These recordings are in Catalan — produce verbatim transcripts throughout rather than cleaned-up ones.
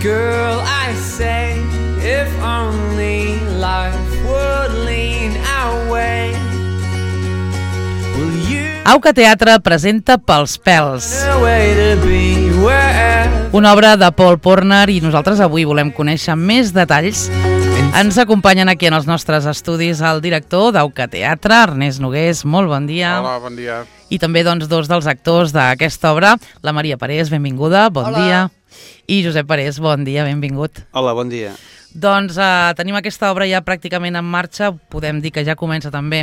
Girl, I say, if only life would lean our way. Will you Auca Teatre presenta Pels pèls, find a way to be wherever una obra de Paul Porner, i nosaltres avui volem conèixer més detalls. Ens acompanyen aquí en els nostres estudis el director d'Auca Teatre, Ernest Nogués. Molt bon dia. Hola, bon dia. I també doncs, dos dels actors d'aquesta obra, la Maria Parés, benvinguda, bon Hola. dia. I Josep Parés, bon dia, benvingut. Hola, bon dia. Doncs eh, tenim aquesta obra ja pràcticament en marxa. Podem dir que ja comença també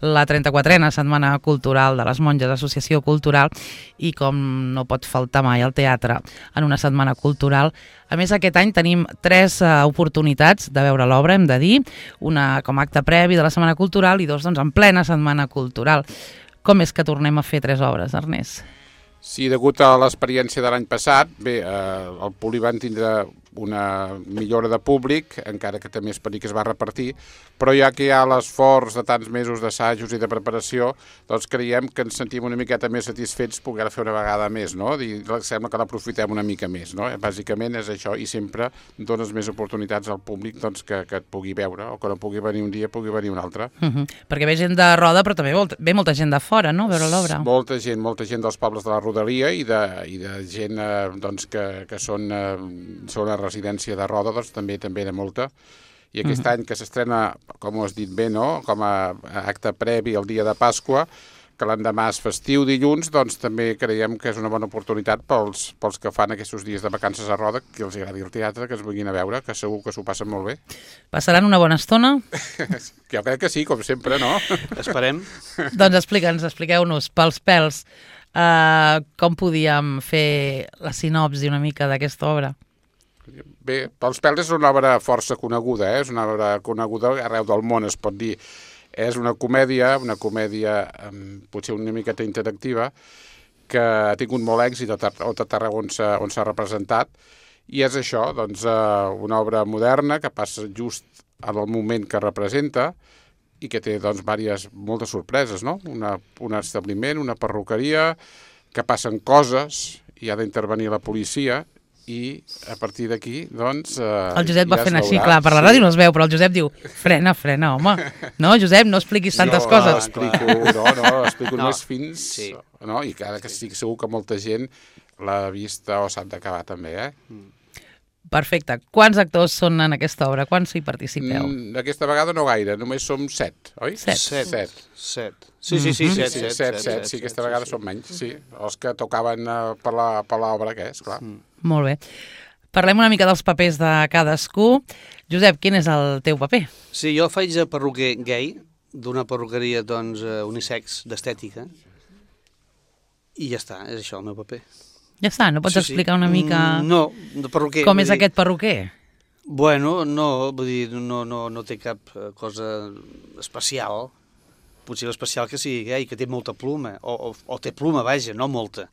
la trenta-quatrena Setmana Cultural de les Monges, Associació Cultural, i com no pot faltar mai el teatre en una setmana cultural. A més, aquest any tenim tres eh, oportunitats de veure l'obra, hem de dir, una com a acte previ de la Setmana Cultural i dos doncs, en plena Setmana Cultural. Com és que tornem a fer tres obres, Ernest? Sí, degut a l'experiència de l'any passat, bé, eh, el Poli van tindre una millora de públic, encara que també esperi que es va repartir, però ja que hi ha l'esforç de tants mesos d'assajos i de preparació, doncs creiem que ens sentim una miqueta més satisfets poder fer una vegada més, no? I sembla que l'aprofitem una mica més, no? Bàsicament és això, i sempre dones més oportunitats al públic doncs, que, que et pugui veure, o que no pugui venir un dia, pugui venir un altre. Uh -huh. Perquè ve gent de Roda, però també vol, ve molta gent de fora, no?, a veure l'obra. Molta gent, molta gent dels pobles de la Rodalia i de, i de gent eh, doncs, que, que són, eh, són a residència de Roda, doncs també també de molta. I aquest uh -huh. any que s'estrena, com ho has dit bé, no?, com a acte previ al dia de Pasqua, que l'endemà és festiu dilluns, doncs també creiem que és una bona oportunitat pels, pels que fan aquests dies de vacances a Roda, que els agradi el teatre, que es vinguin a veure, que segur que s'ho passen molt bé. Passaran una bona estona? Jo crec que sí, com sempre, no? Esperem. Doncs explica'ns, expliqueu-nos, Pels pèls, uh, com podíem fer la sinopsi una mica d'aquesta obra? Bé, Pels pèls és una obra força coneguda, eh? És una obra coneguda arreu del món, es pot dir. És una comèdia, una comèdia um, potser una miqueta interactiva, que ha tingut molt èxit a tot arreu on s'ha on s'ha representat, i és això, doncs, uh, una obra moderna que passa just en el moment que representa i que té, doncs, diverses, moltes sorpreses, no? Una, un establiment, una perruqueria, que passen coses i ha d'intervenir la policia, i a partir d'aquí, doncs... Eh, el Josep va ja fent així, veurà. clar, per la Sí. ràdio no es veu, però el Josep diu, frena, frena, home. No, Josep, no expliquis tantes no, coses. No, explico, no, no, explico No. només fins... Sí. No? I que ara que estic segur que molta gent l'ha vista o s'ha d'acabar també, eh? Perfecte. Quants actors són en aquesta obra? Quants hi participeu? Mm, aquesta vegada no gaire, només som set, oi? Set. Set. Set. Set. Sí, sí, sí, set, Sí, set, set, set, sí, aquesta vegada són menys, sí. Els que tocaven uh, per la- per l'obra, que és, clar. Molt bé. Parlem una mica dels papers de cadascú. Josep, quin és el teu paper? Sí, jo faig de perruquer gay, d'una perruqueria, doncs, eh, unisex d'estètica, i ja està, és això el meu paper. Ja està, no pots Sí, sí. explicar una mica Mm, No, de perruquer. com vull és dir- aquest perruquer? Bueno, no, vull dir, no, no, no té cap eh, cosa especial. Potser l'especial que sigui gay, que té molta pluma, o, o, o té pluma, vaja, no molta.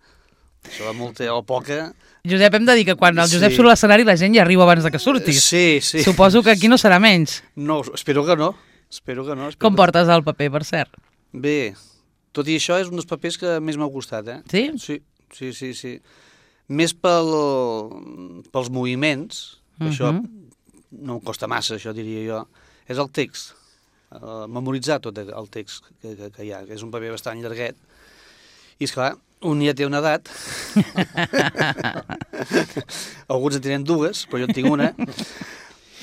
Això de molta o poca... Josep, hem de dir que quan el Josep Sí. surt a l'escenari la gent ja arriba abans de que surtis. Sí, sí. Suposo que aquí no serà menys. No, espero que no. Espero que no. Espero Com que... portes el paper, per cert? Bé, tot i això és un dels papers que més m'ha gustat, eh? Sí? Sí, sí, sí, sí. Més pel, pels moviments, uh -huh. això no em costa massa, això diria jo, és el text, uh, memoritzar tot el text que, que, que hi ha, que és un paper bastant llarguet, i esclar, un ja té una edat, alguns en tenen dues, però jo en tinc una,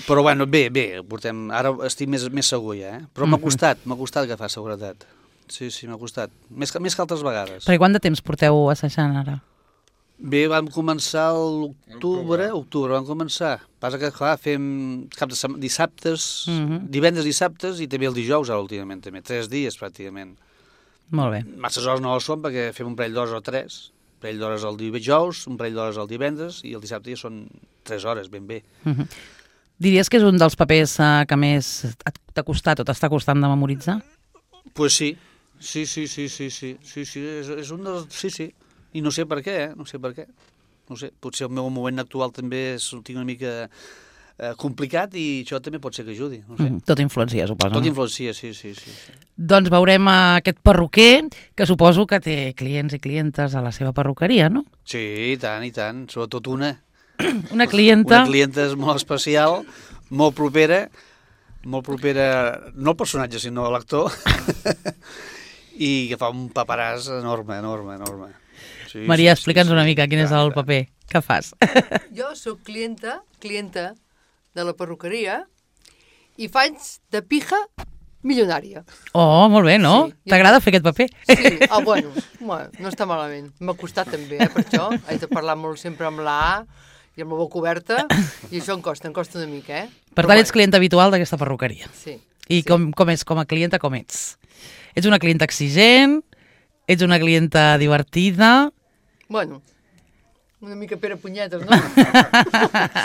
però bueno, bé, bé, portem, ara estic més, més segur ja, eh? Però m'ha costat, m'ha costat agafar seguretat. Sí, sí, m'ha costat. Més que, més que altres vegades. Perquè quant de temps porteu assajant ara? Bé, vam començar a l'octubre, octubre vam començar. Passa que, clar, fem cap de setmana, dissabtes, Mhm. divendres, dissabtes i també el dijous, ara últimament, també. Tres dies, pràcticament. Molt bé. Masses hores no ho són, perquè fem un parell d'hores o tres. Un parell d'hores el dijous, un parell d'hores el divendres, i el dissabte ja són tres hores, ben bé. Uh -huh. Diries que és un dels papers uh, que més t'ha costat o t'està costant de memoritzar? Pues sí, sí, sí, sí, sí, sí, sí, sí, és, és un dels... Sí, sí, i no sé per què, eh? No sé per què. No sé, potser el meu moment actual també és, ho tinc una mica eh, complicat i això també pot ser que ajudi, no sé. Mm, tot influencia, suposo. Tot no? influencia, sí, sí, sí, sí. Doncs veurem aquest perruquer, que suposo que té clients i clientes a la seva perruqueria, no? Sí, i tant, i tant, sobretot una. Una clienta... Una clienta és molt especial, molt propera, molt propera, no al personatge, sinó a l'actor, i que fa un paperàs enorme, enorme, enorme. Sí, Maria, sí, explica'ns sí, una sí. mica quin és el Clar, paper que fas. Jo sóc clienta, clienta de la perruqueria i faig de pija milionària. Oh, molt bé, no? Sí. T'agrada fer aquest paper? Sí, ah, bueno, bueno, no està malament. M'ha costat també, eh, per això. Haig de parlar molt sempre amb la A i amb la boca oberta, i això em costa, em costa una mica, eh? Per tant, ets client habitual d'aquesta perruqueria. Sí. I sí. com, com és, com a clienta, com ets? Ets una clienta exigent? Ets una clienta divertida? Bueno, una mica Pere Punyetes, no?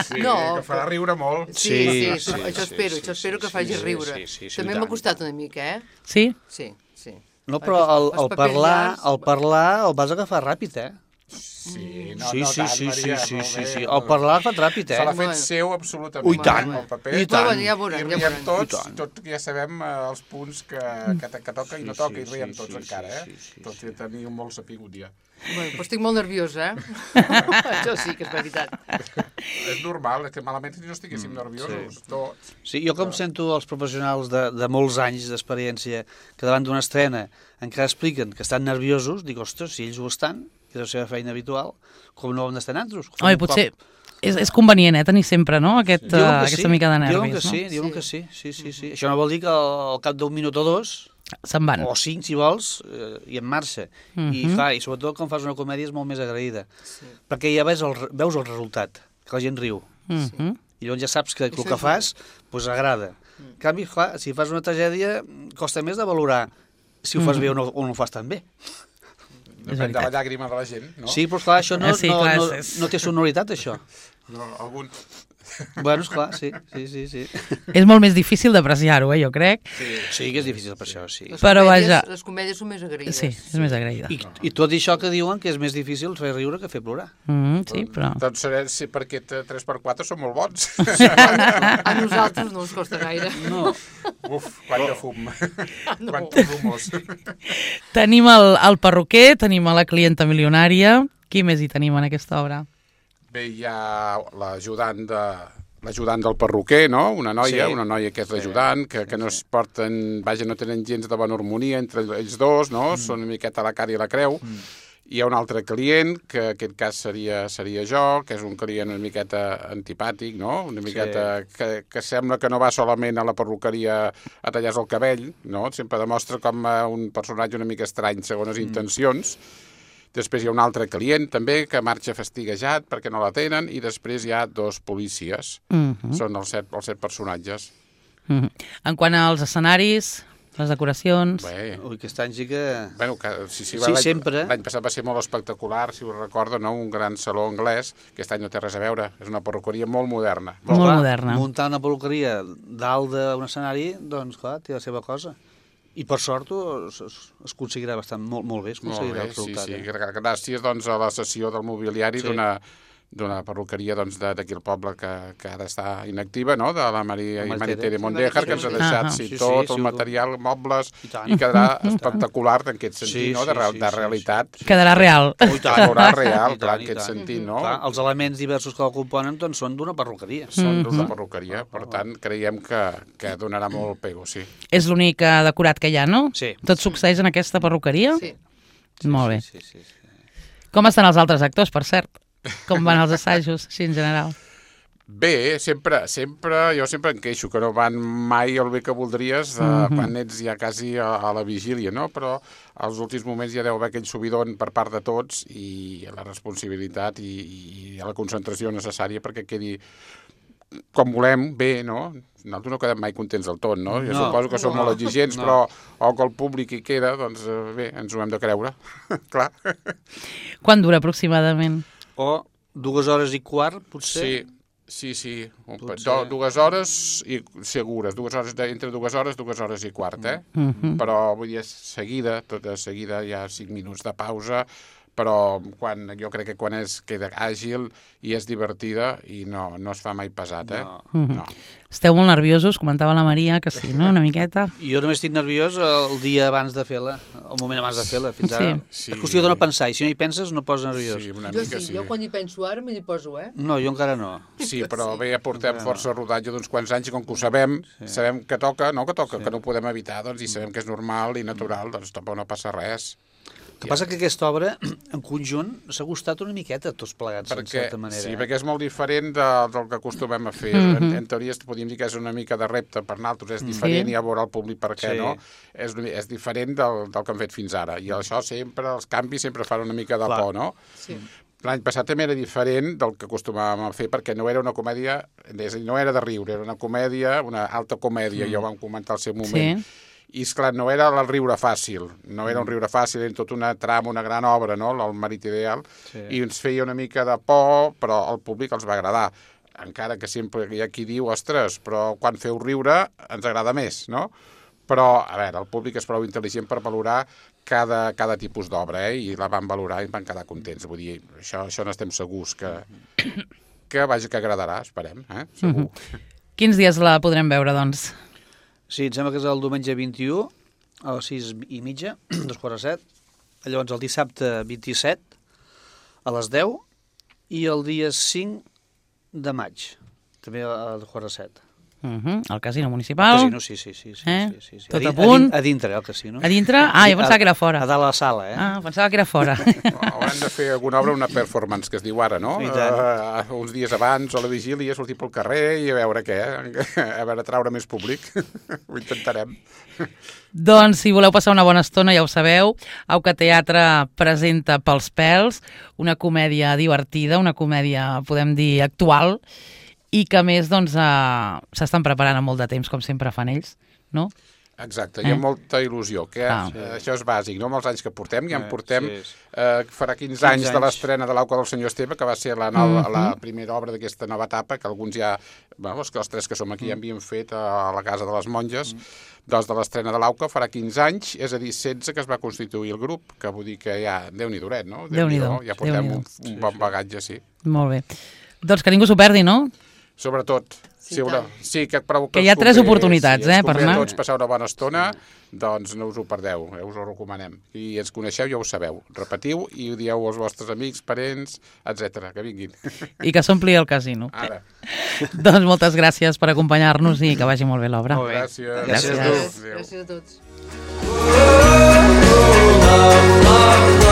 Sí, No, que farà riure molt. Sí, Sí, sí, sí, sí, això sí, espero, sí, això sí, espero que sí, faci sí, riure. sí, sí, sí, També i m'ha tant. costat una mica, eh? Sí? Sí, sí. No, però el, Els el papers parlar, llargs- el parlar el vas agafar ràpid, eh? Sí, no, sí, no sí, tant, sí, Maria, sí, sí, molt sí, bé. sí. El parlar el fa ràpid, Se l'ha eh? fet Bueno. seu absolutament. Ui, tant, el paper. i tant. Bueno, ja veurem, I ja riem veurem. tots, I tant. tot, ja sabem eh, els punts que, que, que toca i no Sí, toca, sí, i riem sí, tots sí, encara, eh? sí, sí, Tot i tenir molt sapigut ja. Bueno, però estic molt nerviosa, eh? Això sí que és veritat. És normal, és que malament si no estiguéssim nerviosos, tots. Sí, jo com sento els professionals de, de molts anys d'experiència que davant d'una estrena encara expliquen que estan nerviosos, dic, ostres, si ells ho estan, que és la seva feina habitual, com no ho hem d'estar nosaltres? Que fem Home, un potser cop. és, és convenient, eh, tenir sempre, no?, Aquest, Diuen uh, que aquesta sí, mica de nervis, diuen que sí, no? diuen Sí. que sí, sí, sí, sí. Això no vol dir que al cap d'un minut o dos, Se'n van. o cinc, si vols, eh, i en marxa. I, Mhm. clar, i sobretot quan fas una comèdia és molt més agraïda, perquè ja veus el, veus el resultat, que la gent riu. Mhm. I llavors ja saps que el Això que és fas pues, agrada. En canvi, clar, si fas una tragèdia, costa més de valorar si ho fas bé o no, o no ho fas tan bé. Depèn de la veritat. llàgrima de la gent, no? Sí, però clar, això no, Ah, sí, no, clar, no, és- no té sonoritat, això. No, algun... Bueno, esclar, sí, sí, sí, sí. És molt més difícil d'apreciar-ho, eh, jo crec. Sí que és difícil per això, sí. Les Però comèdies, vaja. Les comèdies són més agraïdes. Sí, és més agraïda. I, I tot això que diuen que és més difícil fer riure que fer plorar. Mm, sí, però... Doncs seré, sí, perquè tres per quatre són molt bons. A nosaltres no ens costa gaire. No. Uf, quant de fum. No. Quants rumors. Tenim el, el perruquer, tenim a la clienta milionària. Qui més hi tenim en aquesta obra? Bé, hi ha l'ajudant de l'ajudant del perruquer, no? Una noia, Sí. una noia que és l'ajudant, que, que no es porten, vaja, no tenen gens de bona harmonia entre ells dos, no? Mm. Són una miqueta la cara i la creu. Mm. Hi ha un altre client, que en aquest cas seria, seria jo, que és un client una miqueta antipàtic, no? Una miqueta sí. que, que sembla que no va solament a la perruqueria a tallar-se el cabell, no? Sempre demostra com eh, un personatge una mica estrany segons les mm. intencions. Després hi ha un altre client, també, que marxa fastiguejat perquè no la tenen, i després hi ha dos policies. Mm -hmm. Són els set, els set personatges. Mm -hmm. En quant als escenaris, les decoracions... Bé, Ui, aquest any sí que... bueno, que, sí, sí, Sí, l'any- sempre. L'any passat va ser molt espectacular, si us recordo, no? Un gran saló anglès. Aquest any no té res a veure. És una perruqueria molt moderna. Molt clar, moderna. Muntar una peluqueria dalt d'un escenari, doncs clar, té la seva cosa. I per sort es, es, es aconseguirà bastant molt, molt bé, es Molt aconseguirà bé, el sí, resultat. sí. Eh? Gràcies doncs, a la sessió del mobiliari Sí. d'una d'una perruqueria doncs, de- d'aquí al poble que, que ara està inactiva, no? De la Maria i La Maritere Maritere. Mondéjar, que ens ha Sí, deixat Ah, sí, sí, tot sí, el sí, material, mobles, I tant. i quedarà espectacular en aquest sentit, Sí, no? De, sí, real, sí, de sí, realitat. Quedarà real. Oh, i tant. Veurà real, I tant, clar, en i aquest tant. sentit, no? Clar, els elements diversos que el componen doncs, són d'una perruqueria. Són d'una perruqueria, per tant, creiem que, que donarà molt pego, sí. És l'únic eh, decorat que hi ha, no? Sí. Tot succeeix en aquesta perruqueria? Sí. Molt bé. Sí, sí, sí. Com estan els altres actors, per cert? Com van els assajos, així en general? Bé, sempre, sempre, jo sempre em queixo que no van mai el bé que voldries eh, Mhm. quan ets ja quasi a, a la vigília, no? Però als últims moments ja deu haver aquell subidon per part de tots i la responsabilitat i, i la concentració necessària perquè quedi com volem, bé, no? Nosaltres no quedem mai contents del tot, no? Jo No, suposo que som no, molt exigents, no. però o que el públic hi queda, doncs eh, bé, ens ho hem de creure, clar. Quan dura aproximadament? O dues hores i quart, potser. Sí, sí, sí. Un, pa- Potser. do, dues hores i segures, dues hores de, entre dues hores, dues hores i quart, eh? Mhm. Però vull dir, és seguida, tot de seguida, hi ha cinc minuts de pausa però quan, jo crec que quan és, queda àgil i és divertida i no, no es fa mai pesat, eh? No. No. Esteu molt nerviosos, comentava la Maria, que sí, no?, una miqueta. Jo només estic nerviós el dia abans de fer-la, el moment abans de fer-la, fins ara. Sí. És qüestió de no pensar, i si no hi penses no poses nerviós. Sí, una Jo mica sí, sí. jo quan hi penso ara me hi poso, eh? No, jo encara no. Sí, però bé, ja portem força rodatge d'uns quants anys i com que ho sabem, sabem que toca, no que toca, que no ho podem evitar, doncs, i sabem que és normal i natural, doncs tampoc no passa res. El que passa que aquesta obra, en conjunt, s'ha gustat una miqueta tots plegats, en Perquè, certa manera. sí, eh? perquè és molt diferent de, del que acostumem a fer. en, en teoria podríem dir que és una mica de repte per nosaltres, és diferent, Sí. i a veure el públic per què Sí. no. És, és diferent del, del que hem fet fins ara. I això sempre, els canvis sempre fan una mica de Clar. por, no? Sí. L'any passat també era diferent del que acostumàvem a fer, perquè no era una comèdia, és a dir, no era de riure, era una comèdia, una alta comèdia, ja ho vam comentar al seu moment. Sí. I, esclar, no era el riure fàcil, no era un riure fàcil, era tota una trama, una gran obra, no?, el Marit Ideal, Sí. i ens feia una mica de por, però al públic els va agradar. Encara que sempre hi ha qui diu, ostres, però quan feu riure ens agrada més, no? Però, a veure, el públic és prou intel·ligent per valorar cada, cada tipus d'obra, eh? I la van valorar i van quedar contents. Vull dir, això, això n'estem segurs que, que, vaja, que agradarà, esperem, eh? Segur. Quins dies la podrem veure, doncs? Sí, em sembla que és el diumenge vint-i-u, a les sis i mitja, dos quarts de set. Llavors el dissabte vint-i-set, a les deu, i el dia cinc de maig, també a dos quarts de set. Uh -huh. El casino municipal. Casino, sí, sí, sí. sí, Eh? sí, sí, sí. Tot di- a punt. din- A dintre, el casino. A dintre? Ah, jo pensava que era fora. A dalt a la sala, eh? Ah, pensava que era fora. Haurem de fer alguna obra, una performance, que es diu ara, no? I tant. Uh, uns dies abans, o a la vigília, sortir pel carrer i a veure què, eh? A veure, traure més públic. Ho intentarem. Doncs, si voleu passar una bona estona, ja ho sabeu, Auca Teatre presenta Pels pèls, una comèdia divertida, una comèdia, podem dir, actual, i que a més doncs, eh, s'estan preparant amb molt de temps, com sempre fan ells, no? Exacte, hi ha Eh? molta il·lusió, que Ah. eh, això és bàsic, no? Amb els anys que portem, ja en Eh, portem, sí, sí. eh, farà quinze, quinze anys de anys. l'estrena de l'Auca del senyor Esteve, que va ser la, nova, la primera obra d'aquesta nova etapa, que alguns ja, bueno, els, els tres que som aquí ja havíem fet a la Casa de les Monges, doncs de l'estrena de l'Auca farà quinze anys, és a dir, setze que es va constituir el grup, que vull dir que ja, Déu-n'hi-do, no? Déu-n'hi-do, Ja portem Déu-n'hi-do. un, un bon bagatge, sí. Molt bé. Doncs que ningú s'ho perdi, no? Sobretot, Sí, sí, una, tant. sí que, però Que hi ha tres oportunitats, sí, eh, ens per convé a anar. tots passar una bona estona, doncs no us ho perdeu, eh, us ho recomanem. I ens coneixeu, ja ho sabeu. Repetiu i ho dieu als vostres amics, parents, etcètera, que vinguin. I que s'ompli el casino. Ara. Doncs moltes gràcies per acompanyar-nos i que vagi molt bé l'obra. Molt bé. Gràcies. Gràcies a tu. Adéu. Gràcies a tots. love, love,